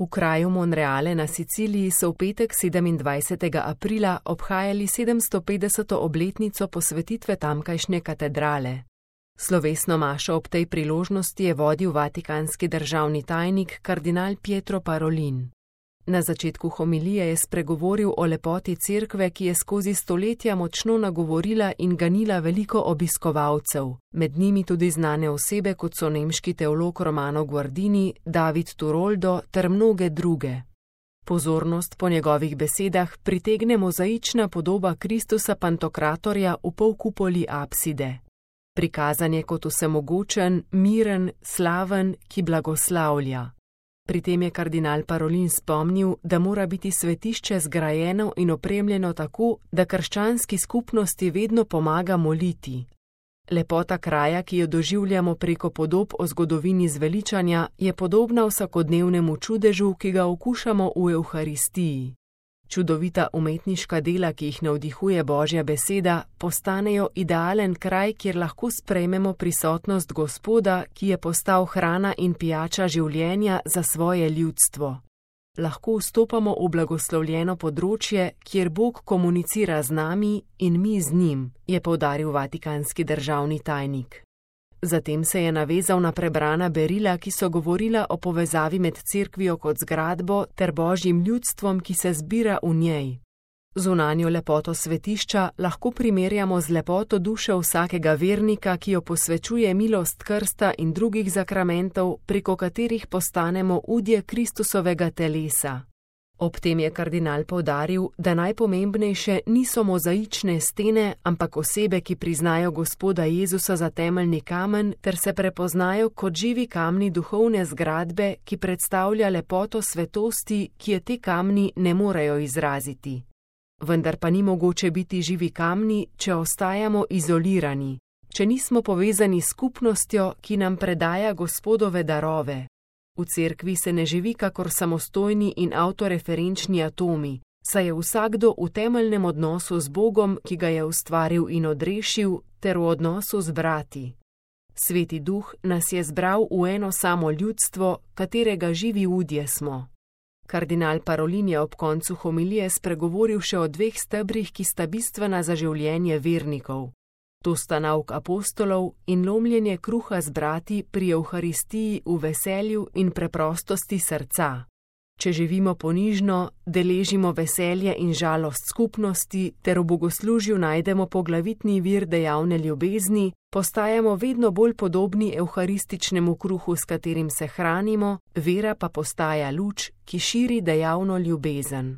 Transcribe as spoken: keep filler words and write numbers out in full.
V kraju Monreale na Siciliji so v petek sedemindvajsetega aprila obhajali sedemstopetdeseto obletnico posvetitve tamkajšnje katedrale. Slovesno mašo ob tej priložnosti je vodil vatikanski državni tajnik kardinal Pietro Parolin. Na začetku homilije je spregovoril o lepoti cerkve, ki je skozi stoletja močno nagovorila in ganila veliko obiskovalcev, med njimi tudi znane osebe, kot so nemški teolog Romano Guardini, David Turoldo ter mnoge druge. Pozornost po njegovih besedah pritegne mozaična podoba Kristusa Pantokratorja v polkupoli apside. Prikazan je kot vsemogočen, miren, slaven, ki blagoslavlja. Pri tem je kardinal Parolin spomnil, da mora biti svetišče zgrajeno in opremljeno tako, da krščanski skupnosti vedno pomaga moliti. Lepota kraja, ki jo doživljamo preko podob o zgodovini zveličanja, je podobna vsakodnevnemu čudežu, ki ga okušamo v Evharistiji. Čudovita umetniška dela, ki jih navdihuje Božja beseda, postanejo idealen kraj, kjer lahko sprejmemo prisotnost Gospoda, ki je postal hrana in pijača življenja za svoje ljudstvo. Lahko vstopamo v blagoslovljeno področje, kjer Bog komunicira z nami in mi z njim, je poudaril vatikanski državni tajnik. Zatem se je navezal na prebrana berila, ki so govorila o povezavi med cerkvijo kot zgradbo ter Božjim ljudstvom, ki se zbira v njej. Zunanjo lepoto svetišča lahko primerjamo z lepoto duše vsakega vernika, ki jo posvečuje milost krsta in drugih zakramentov, preko katerih postanemo udje Kristusovega telesa. Ob tem je kardinal poudaril, da najpomembnejše niso mozaične stene, ampak osebe, ki priznajo Gospoda Jezusa za temeljni kamen ter se prepoznajo kot živi kamni duhovne zgradbe, ki predstavlja lepoto svetosti, ki je te kamni ne morejo izraziti. Vendar pa ni mogoče biti živi kamni, če ostajamo izolirani, če nismo povezani s skupnostjo, ki nam predaja Gospodove darove. V cerkvi se ne živi kakor samostojni in avtoreferenčni atomi, saj je vsakdo v temeljnem odnosu z Bogom, ki ga je ustvaril in odrešil, ter v odnosu z brati. Sveti Duh nas je zbral v eno samo ljudstvo, katerega živi udje smo. Kardinal Parolin je ob koncu homilije spregovoril še o dveh stebrih, ki sta bistvena za življenje vernikov. To sta nauk apostolov in lomljenje kruha z brati pri Evharistiji v veselju in preprostosti srca. Če živimo ponižno, deležimo veselje in žalost skupnosti ter v bogoslužju najdemo poglavitni vir dejavne ljubezni, postajamo vedno bolj podobni evharističnemu kruhu, s katerim se hranimo, vera pa postaja luč, ki širi dejavno ljubezen.